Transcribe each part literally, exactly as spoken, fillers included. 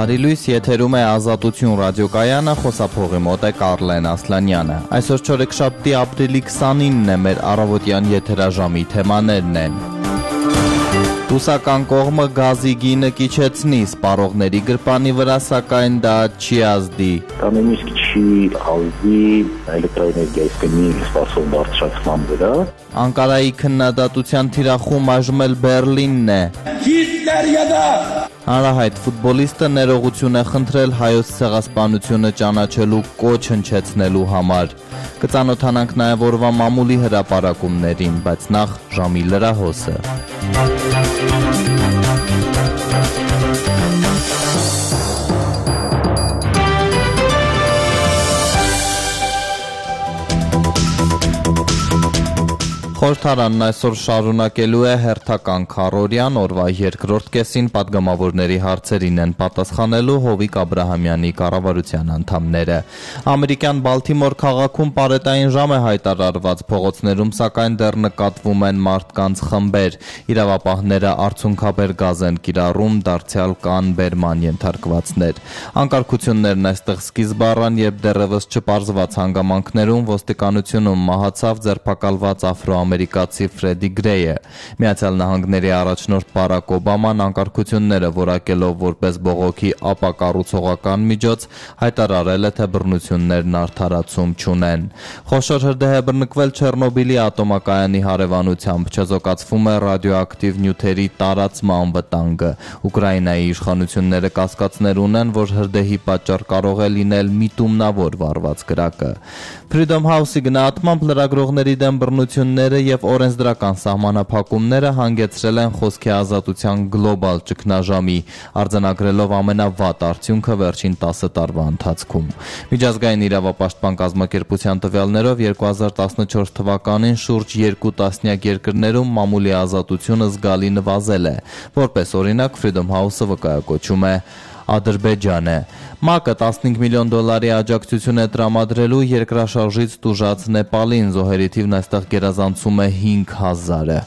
Բարի լույս, եթերում է Ազատություն ռադիոկայանը, խոսափողի մոտ է Կարլեն Ասլանյանը։ Այսօր չորեքշաբթի ապրիլի քսանինն է, մեր առավոտյան եթերաժամի թեմաներն են։ Ռուսական կողմը գազի գինը կիչեցնի, սպառողների գրպանի վրա, սակայն դա չի ազդի։ Դա նույնիսկ չի ազդի էլեկտրաէներգիայի գնի սպասող բարձրացման վրա։ Անկարայի քննադատության թիրախում այժմ էլ Բեռլինն է։ Հանրահայտ ֆուտբոլիստը ներողություն է խնդրել հայոց ցեղասպանությունը ճանաչելու կոչ հնչեցնելու համար։ Կծանոթանանք նաև օրվա մամուլի հրապարակումներին, բայց նախ ժամի լրահոսը։ Խորհրդարանն այսօր շարունակելու է հերթական քառօրյան, օրվա երկրորդ կեսին պատգամավորների հարցերին են պատասխանելու Հովիկ Աբրահամյանի կառավարության անդամները։ Ամերիկյան Բալթիմոր քաղաքում պարետային ժամ է հայտարարված, փողոցներում սակայն դեռ նկատվում են մարդկանց խմբեր։ Իրավապահները արցունքաբեր գազ են կիրառում, դարձյալ կան բերման ենթարկվածներ։ Անկարգություններն այստեղ սկիզբ առան, երբ դեռևս չպարզված հանգամանքներում ոստիկանությունում մահացավ ձերբակալված աֆրոամերիկացի ամերիկացի Ֆրեդի Գրեյը։ Միացյալ Նահանգների առաջնորդ Բարակ Օբաման անկարգությունները որակելով որպես բողոքի ապակառուցողական միջոց հայտարարել է, թե բռնություններն արդարացում չունեն։ Խոշոր հրդեհ է բռնկվել Չեռնոբիլի ատոմակայանի հարևանությամբ, չեզոքացվում է ռադիոակտիվ նյութերի տարածման վտանգը։ Ուկրաինայի իշխանությունները կասկածներ ունեն, որ հրդեհի պատճառ կարող է լինել միտումնավոր վարված կրակը։ Freedom House-ի գնահատմամբ լրագրողների դեմ բռնությունները և օրենսդրական սահմանափակումները հանգեցրել են խոսքի ազատության գլոբալ ճգնաժամի, արձանագրելով ամենավատ արդյունքը վերջին տասը տարվա ընթացքում։ Միջազգային իրավապաշտպան կազմակերպության տվյալներով երկու հազար տասնչորս թվականին շուրջ երկու տասնյակ երկրներում մամուլի ազատությունը զգալի նվազել է։ Որպես օրինակ, Freedom House-ը վկայակոչում է Ադրբեջանը։ ՄԱԿ-ը տասնհինգ միլիոն դոլարի աջակցություն է տրամադրելու երկրաշարժից տուժած Նեպալին, զոհերի թիվն այստեղ գերազանցում է հինգ հազարը։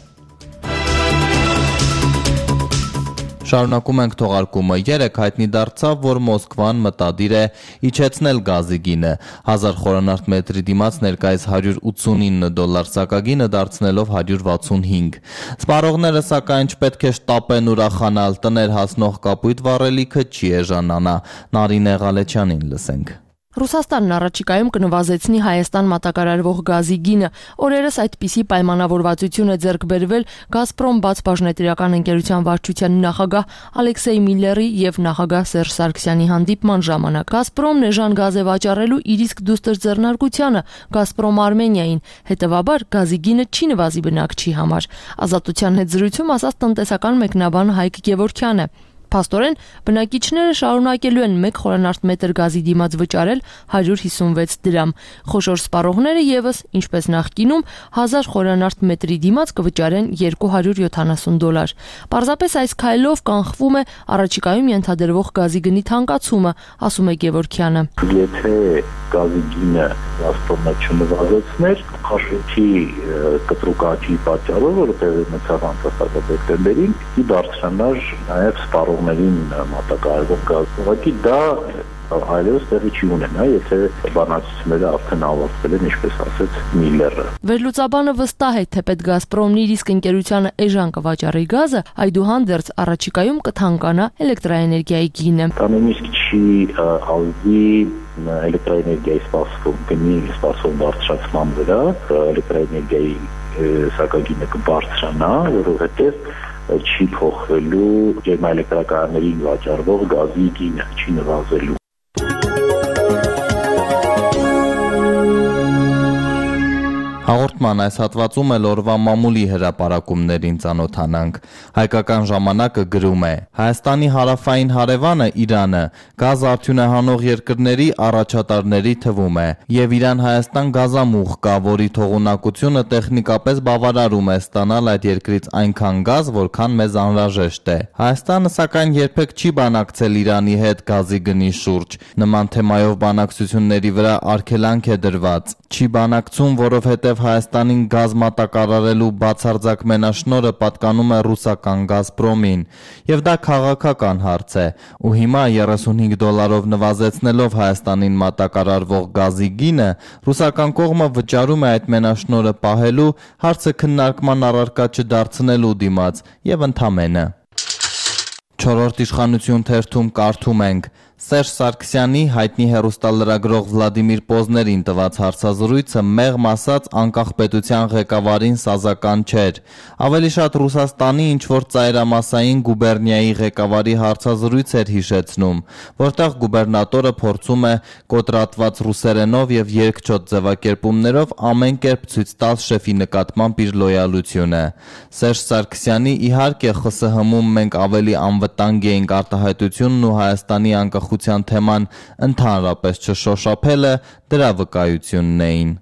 Շարունակում ենք թողարկումը։ Երեկ հայտնի դարձավ, որ Մոսկվան մտադիր է իջեցնել գազի գինը, հազար խորանարդ մետրի դիմաց ներկայիս հարյուր ութսունինը դոլար սակագինը դարձնելով հարյուր վաթսունհինգ։ Սպառողները սակայն չպետք է շտապեն ուրախանալ, տներ հասնող կապույտ վառելիքը չի էժանանա։ Նարինե Ղալեչյանին լսենք։ Ռուսաստանն առաջիկայում կնվազեցնի Հայաստան մատակարարվող գազի գինը։ Օրերս այդպիսի պայմանավորվածություն է ձեռք բերվել Գազպրոմ բաց բաժնետիրական ընկերության վարչության նախագահ Ալեքսեյ Միլլերի եւ նախագահ Սերժ Սարգսյանի հանդիպման ժամանակ։ Գազպրոմն էժան գազ է վաճառելու իր իսկ դուստր ձեռնարկությանը Գազպրոմ Արմենիային, հետեւաբար գազի գինը չի նվազի բնակչի համար։ Ազատության հետ զրույցում ասաց տնտեսական մեկնաբան Հայկ Գևորգյանը։ Փաստորեն, բնակիչները շարունակելու են մեկ խորանարդ մետր գազի դիմաց վճարել հարյուր հիսունվեց դրամ։ Խոշոր սպառողները եւս, ինչպես նախկինում, հազար խորանարդ մետրի դիմաց կվճարեն երկու հարյուր յոթանասուն դոլար։ Պարզապես այս քայլով կանխվում է առաջիկայում ենթադրվող գազի գնի թանկացումը, ասում է Գևորգյանը։ Եթե գազի գինը Գազպրոմը չնվազեցներ, խաշույթի կտրուկ աճի պատճառով, որը տեղի ունեցավ անցած դեկտեմբերին, ի բարձրանար նաև սպառողներին մատակարարվող գազ։ Ուղղակի դա այլևս տեղի չի ունենա, եթե բանակցությունները արդեն ավարտվել են, ինչպես ասեց Միլլերը։ Վերլուծաբանը վստահ է, թե պետք Գազպրոմն իր իսկ ընկերությանը էժան կվաճառի գազը, այդուհանդերձ առաջիկայում կթանկանա էլեկտրաէներգիայի գինը։ Դա նույնիսկ չի ազդի էլեկտրաէներգիայի սպասող գնի սպասող բարձրացման վրա, էլեկտրաէներգիայի սակագինը կբարձրանա, որովհետև չի փոխվելու ջերմաէլեկտրակայաններին վաճառվող գազի գինը, չի նվազելու։ Հաղորդման այս հատվածում էլ օրվա մամուլի հրապարակումներին ծանոթանանք։ Հայկական ժամանակը գրում է. Հայաստանի հարավային հարևանը Իրանը գազ արդյունահանող երկրների առաջատարների թվում է, եւ Իրան-Հայաստան գազամուղ կա, որի թողունակությունը տեխնիկապես բավարարում է ստանալ այդ երկրից այնքան գազ, որքան մեզ անհրաժեշտ է։ Հայաստանը սակայն երբեք չի բանակցել Իրանի հետ գազի գնի շուրջ։ Նման թեմայով բանակցությունների վրա արգելանք է դրված։ Չի բանակցում, որովհետև Հայաստան Հայաստանին գազ մատակարարելու բացարձակ մենաշնորհը պատկանում է ռուսական «Գազպրոմին», եւ դա քաղաքական հարց է, ու հիմա երեսունհինգ դոլարով նվազեցնելով Հայաստանին մատակարարվող գազի գինը, ռուսական կողմը վճարում է այդ մենաշնորհը պահելու, հարցը քննարկման առարկա չդարձնելու դիմաց եւ ընդամենը։ Չորրորդ իշխանություն թերթում կարդում ենք. Սերժ Սարգսյանի հայտնի հեռուստալրագրող Վլադիմիր Պոզներին տված հարցազրույցը մեղմ ասած անկախ պետության ղեկավարին սազական չէր։ Ավելի շատ Ռուսաստանի ինչ-որ ծայրամասային գուբերնիայի ղեկավարի հարցազրույց էր հիշեցնում, որտեղ գուբերնատորը փորձում է կոտրատված ռուսերենով եւ երկչոտ ձևակերպումներով ամեն կերպ ցույց տալ շեֆի նկատմամբ իր լոյալությունը։ Սերժ Սարգսյանի իհարկե ԽՍՀՄ-ում մենք ավելի անվտանգ էինք արտահայտությունն ու Հայաստանի անկախության թեման ընդհանրապես չշոշափելը դրա վկայությունն էին։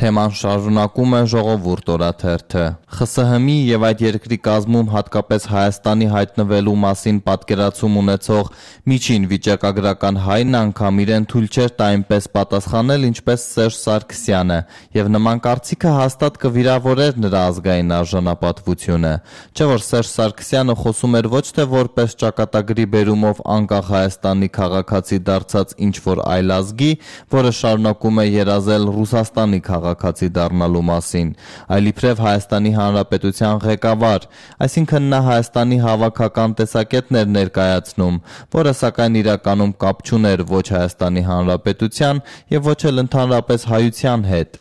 Թեման շարունակում է Ժողովուրդ օրաթերթը։ ԽՍՀՄ-ի եւ այդ երկրի կազմում հատկապես Հայաստանի հայտնվելու մասին պատկերացում ունեցող միջին վիճակագրական հայն անգամ իրեն թույլ չէր տա այնպես պատասխանել, ինչպես Սերժ Սարգսյանը, եւ նման կարծիքը հաստատ կվիրավորեր նրա ազգային արժանապատվությունը։ Չէ՞ որ Սերժ Սարգսյանը խոսում էր ոչ թե որպես ճակատագրի բերումով անկախ Հայաստանի քաղաքացի դարձած ինչ-որ այլ ազգի, որը շարունակում է երազել Ռուսաստանի քաղաքացի դառնալու մասին, այլ իբրև Հայաստանի Հանրապետության ղեկավար, այսինքն նա Հայաստանի հավաքական տեսակետն էր ներկայացնում, որը սակայն իրականում կապ չուներ ոչ Հայաստանի Հանրապետության եւ ոչ էլ ընդհանրապես հայության հետ։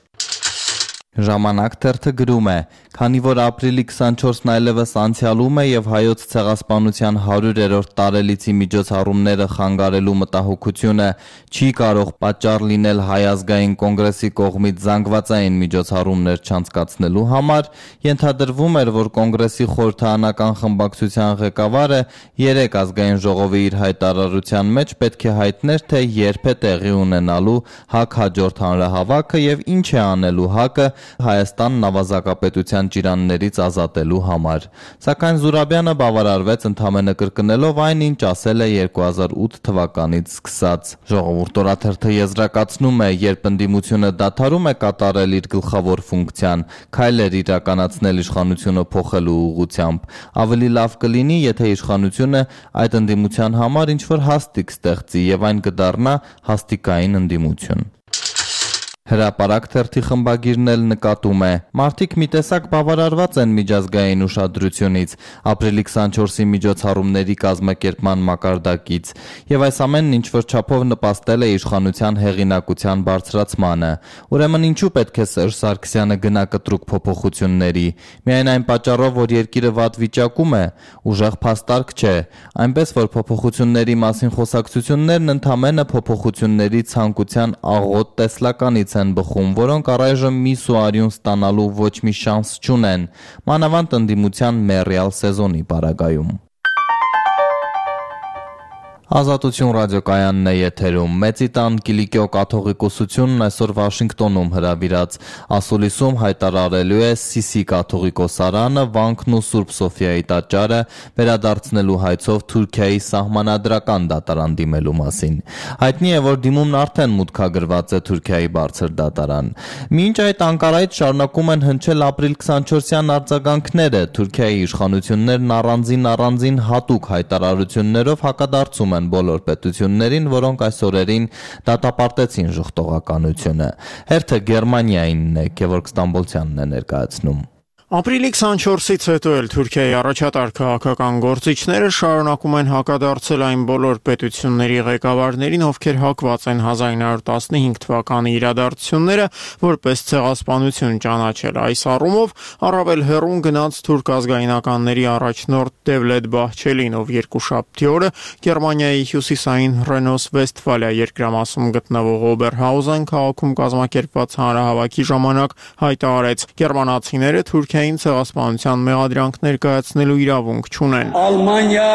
Ժամանակ թերթը գրում է. քանի որ ապրիլի քսանչորսն այլևս անցյալում է եւ հայոց ցեղասպանության հարյուրերորդ տարելիցի միջոցառումները խանգարելու մտահոգությունը չի կարող պատճառ լինել Հայ ազգային կոնգրեսի կողմից զանգվածային միջոցառումներ չանցկացնելու համար, ենթադրվում էր, որ կոնգրեսի խորհրդարանական խմբակցության ղեկավարը երեք ազգային ժողովի իր հայտարարության մեջ պետք է հայտներ, թե երբ է տեղի ունենալու ՀԱԿ հաջորդ հանրահավաքը եւ ինչ է անելու ՀԱԿ-ը Հայաստանն ավազակապետության ճիրաններից ազատելու համար։ Սակայն Զուրաբյանը բավարարվեց ընդամենը կրկնելով այն, ինչ ասել է երկու հազար ութ թվականից սկսած։ Ժողովուրդ օրաթերթը եզրակացնում է, երբ ընդդիմությունը դադարում է կատարել իր գլխավոր ֆունկցիան, քայլեր իրականացնել իշխանությունը փոխելու ուղղությամբ, ավելի լավ կլինի, եթե իշխանությունը այդ ընդդիմության համար ինչ-որ հաստիկ ստեղծի եւ այն կդառնա հաստիկային ընդդիմություն։ Հրապարակ թերթի խմբագիրն էլ նկատում է. մարդիկ մի տեսակ բավարարված են միջազգային ուշադրությունից, ապրիլի քսանչորսի միջոցառումների կազմակերպման մակարդակից, եւ այս ամենն ինչ-որ չափով նպաստել է իշխանության հեղինակության բարձրացմանը։ Ուրեմն ինչու պետք է Սերժ Սարգսյանը գնա կտրուկ փոփոխությունների։ Միայն այն պատճառով, որ երկիրը վատ վիճակում է, ուժեղ փաստարկ չէ, այնպես որ փոփոխությունների մասին խոսակցություններն ընդամենը փոփոխությունների ցանկության աղոտ տեսլականից են բխում, որոնք առայժմ միս ու արյուն ստանալու ոչ մի շանս չունեն, մանավանդ ընդդիմության մեռյալ սեզոնի պարագայում։ Ազատություն ռադիոկայանն է եթերում։ Մեծի տան Կիլիկիո կաթողիկոսությունն այսօր Վաշինգտոնում հրավիրած ասուլիսում հայտարարելու է Սիսի կաթողիկոսարանը, վանքն ու Սուրբ Սոֆիայի տաճարը վերադարձնելու հայցով Թուրքիայի սահմանադրական դատարան դիմելու մասին։ Հայտնի է, որ դիմումն արդեն մուտքագրված է Թուրքիայի բարձր դատարան։ Մինչ այդ Անկարայից շարունակում են հնչել ապրիլ քսանչորսյան արձագանքները, Թուրքիայի իշխանություններն առանձին առանձին հատուկ հայտարարություններով հակադարձում են բոլոր պետություններին, որոնք այս օրերին դատապարտեցին ժխտողականությունը։ Հերթը Գերմանիայինն է, Գևորգ Ստամբոլցյանն է ներկայացնում։ Ապրիլի քսանչորսից հետո էլ Թուրքիայի առաջատար քաղաքական գործիչները շարունակում են հակադարձել այն բոլոր պետությունների ղեկավարներին, ովքեր հակված են հազար նույն հարյուր տասնհինգ թվականի իրադարձությունները որպես ցեղասպանություն ճանաչել։ Այս առումով առավել հեռուն գնաց թուրք ազգայնականների առաջնորդ Դևլետ Բահչելին, ով երկուշաբթի օրը Գերմանիայի հյուսիսային Ռենոս-Վեստֆալիա երկրամասում գտնվող Օբերհաուզեն քաղաքում կազմակերպված հանրահավաքի ժամանակ հայտարարեց. Գերմանացիները Թուրքիա Թուրքիային ցեղասպանության մեղադրանք ներկայացնելու իրավունք չունեն։ Ալմանիա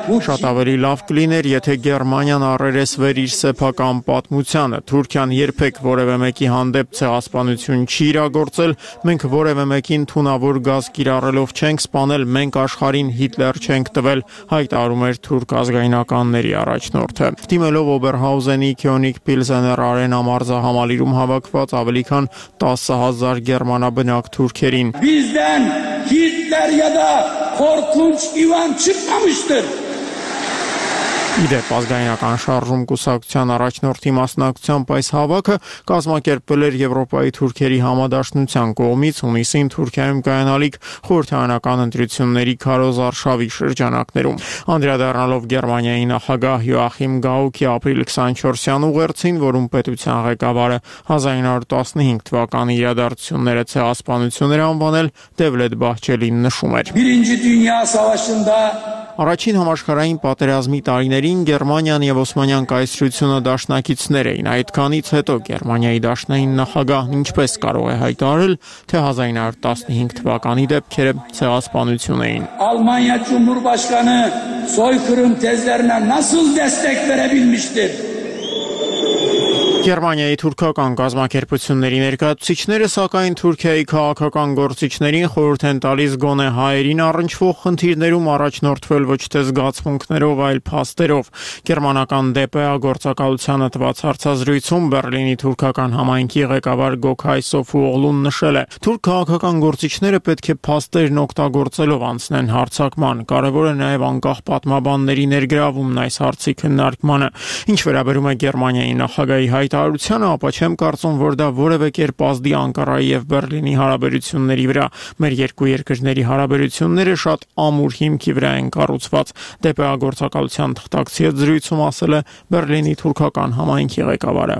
Շատ ավելի լավ կլիներ, եթե Գերմանիան առերեսվեր իր սեփական պատմությանը։ Թուրքիան երբեք որևէ մեկի հանդեպ ցեղասպանություն չի իրագործել, մենք որևէ մեկին թունավոր գազ կիրառելով չենք սպանել, մենք աշխարհին Հիտլեր չենք տվել, հայտարարում էր թուրք ազգայնականների առաջնորդը։ Դիմելով Օբերհաուզենի Քյոնիգ Պիլզեներ արենա մարզահամալիրում հավաքված ավելի քան տասը հազար գերմանաբնակ թուրքերին։ Bizden Hitler ya da korkunç İvan çıkmamıştır. Իդեպ ազգայնական շարժում կուսակցության առաջնորդի մասնակցությամբ այս հավաքը կազմակերպվել էր Եվրոպայի թուրքերի համադաշնության կողմից հունիսին Թուրքիայում կայանալիք խորհրդարանական ընտրությունների քարոզարշավի շրջանակներում։ Անդրադառնալով Գերմանիայի նախագահ Յոախիմ Գաուկի ապրիլ քսանչորսյան ուղերձին, որում պետության ղեկավարը հազար ինը հարյուր տասնհինգ թվականի իրադարձությունները ցեղասպանություն էր անվանել, Դևլետ Բահչելին նշում էր. Birinci Dünya Savaşı'nda Առաջին համաշխարհային պատերազմի տարիներին Գերմանիան եւ Օսմանյան կայսրությունը դաշնակիցներ էին։ Այդքանից հետո Գերմանիայի դաշնային նախագահն ինչպես կարող է հայտարարել, թե հազար ինը հարյուր տասնհինգ թվականի դեպքերը ցեղասպանություն էին։ Almanya Cumhurbaşkanı soykırım tezlerine nasıl destek verebilmiştir? Գերմանիայի թուրքական կազմակերպությունների ներկայացուցիչները սակայն Թուրքիայի քաղաքական գործիչներին խորհուրդ են տալիս գոնե հայերին առնչվող խնդիրներում առաջնորդվել ոչ թե զգացմունքներով, այլ փաստերով։ Գերմանական դե պե է գործակալությանը տված հարցազրույցում Բեռլինի թուրքական համայնքի ղեկավար Գոքայ Սոֆուօղլուն նշել է. Թուրք քաղաքական գործիչները պետք է փաստերն օգտագործելով անցնեն հարձակման։ Կարևոր է նաև անկախ պատմաբանների ներգրավումն այս հարցի քննարկմանը։ Ինչ վերաբերում է Գերմանիայի նախագահի հայտարարությանը, ապա չեմ կարծում, որ դա որևէ կերպ ազդի Անկարայի եւ Բեռլինի հարաբերությունների վրա։ Մեր երկու երկրների հարաբերությունները շատ ամուր հիմքի վրա են կառուցված։ դե պե է գործակալության թղթակցի հետ զրույցում ասել է Բեռլինի թուրքական համայնքի ղեկավարը։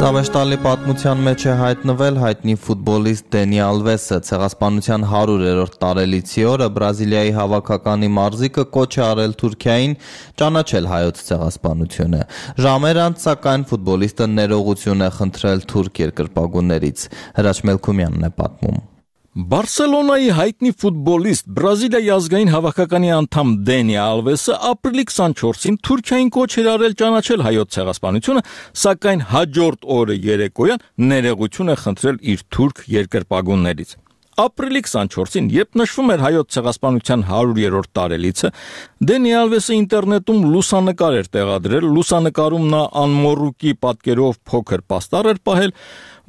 Զավեշտալի պատմության մեջ է հայտնվել հայտնի ֆուտբոլիստ Դենի Ալվեսը։ Ցեղասպանության հարյուրերորդ տարելիցի օրը Բրազիլիայի հավաքականի մարզիկը կոչ է արել Թուրքիային ճանաչել հայոց ցեղասպանությունը։ Ժամեր անց սակայն ֆուտբոլիստը ներողություն է խնդրել թուրք երկրպագուներից։ Հրաչ Մելքումյանն է պատմում։ Բարսելոնայի հայտնի ֆուտբոլիստ Բրազիլիայի ազգային հավաքականի անդամ Դենի Ալվեսը ապրիլի քսանչորսին Թուրքիային կոչ էր արել ճանաչել հայոց ցեղասպանությունը, սակայն հաջորդ օրը երեկոյան ներողություն է խնդրել իր թուրք երկրպագուներից։ Ապրիլի քսանչորսին, երբ նշվում էր հայոց ցեղասպանության հարյուրերորդ տարելիցը, Դենի Ալվեսը ինտերնետում լուսանկար էր տեղադրել, լուսանկարում նա անմոռուկի պատկերով փոքր պաստառ էր պահել,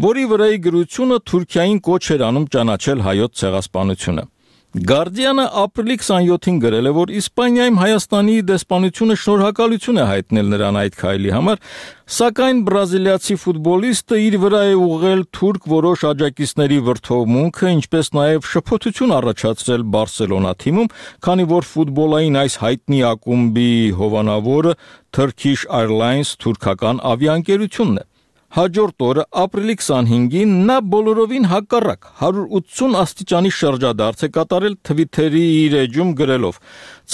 որի վրայի գրությունը Թուրքիային կոչ էր անում ճանաչել հայոց ցեղասպանությունը։ Գարդիանը ապրիլի քսանյոթին գրել է, որ Իսպանիայում Հայաստանի դեսպանությունը շնորհակալություն է հայտնել նրան այդ քայլի համար, սակայն բրազիլիացի ֆուտբոլիստը իր վրա է ուղղել թուրք որոշ աջակիցների վրդովմունքը, ինչպես նաև շփոթություն առաջացրել Բարսելոնա թիմում, քանի որ ֆուտբոլային այս հայտնի ակումբի հովանավորը Turkish Airlines թուրքական ավիաընկերությունն է։ Հաջորդ օրը ապրիլի քսանհինգին նա բոլորովին հակառակ հարյուր ութսուն աստիճանի շրջադարձ է կատարել Twitter-ի իր էջում գրելով.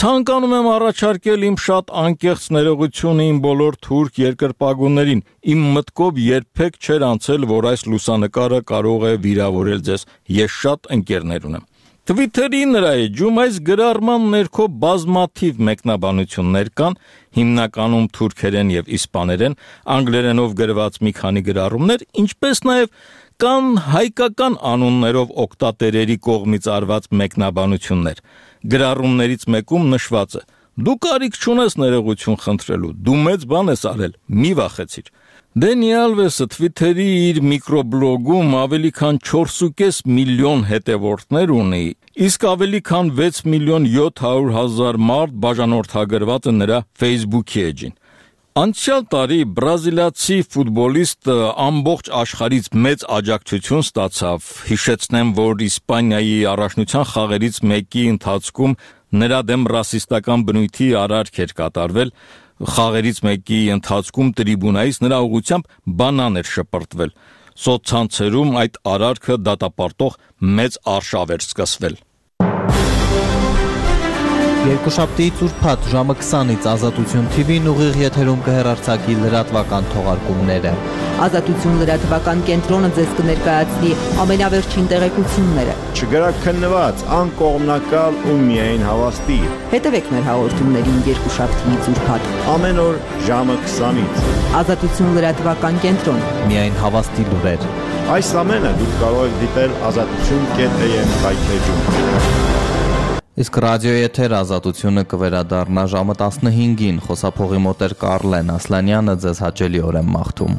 «Ցանկանում եմ առաջարկել իմ շատ անկեղծ ներողությունը իմ բոլոր թուրք երկրպագուներին։ Իմ մտքով երբեք չէր անցել, որ այս լուսանկարը կարող է վիրավորել ձեզ։ Ես շատ ընկերներ ունեմ»։ Twitter-ի նրա էջում այս գրառման ներքո բազմաթիվ մեկնաբանություններ կան, հիմնականում թուրքերեն եւ իսպաներեն, անգլերենով գրված մի քանի գրառումներ, ինչպես նաեւ կան հայկական անուններով օգտատերերի կողմից արված մեկնաբանություններ։ Գրառումներից մեկում նշված է. «Դու կարիք չունես ներողություն խնդրելու, դու մեծ բան ես արել, մի վախեցիր»։ Դենի Ալվեսը Twitter-ի իր միկրոբլոգում ավելի քան չորս ու կես միլիոն հետևորդներ ունի, իսկ ավելի քան վեց միլիոն յոթ հարյուր հազար մարդ բաժանորդագրված է նրա Facebook-ի էջին։ Անցյալ տարի բրազիլիացի ֆուտբոլիստը ամբողջ աշխարհից մեծ աջակցություն ստացավ։ Հիշեցնեմ, որ Իսպանիայի առաջնության խաղերից մեկի ընթացքում նրա դեմ ռասիստական բնույթի արարք էր կատարվել։ Խաղերից մեկի ընթացքում տրիբունայից նրա ուղղությամբ բանան էր շպրտվել։ Սոցցանցերում այդ արարքը դատապարտող մեծ արշավ էր սկսվել։ Երկուշաբթի ծուրփաթ ժամը քսանից Ազատություն Թի Վին ուղիղ եթերում կհեռարձակի լրատվական թողարկումները։ Ազատություն լրատվական կենտրոնը ձեզ կներկայացնի ամենավերջին տեղեկությունները։ Չգրաքննված, անկողմնակալ ու միայն հավաստի։ Հետևեք մեր հաղորդումներին երկուշաբթի ծուրփաթ։ Ամեն օր ժամը քսանից։ Ազատություն լրատվական կենտրոն։ Միայն հավաստի լուրեր։ Այս ամենը դուք կարող եք դիտել ազատություն կետ էյ էմ կայքեջում։ Իսկ ռադիոյի եթեր Ազատությունը կվերադառնա ժամը տասնհինգին, խոսափողի մոտ էր Կարլեն Ասլանյանը, ձեզ հաճելի օր եմ մաղթում։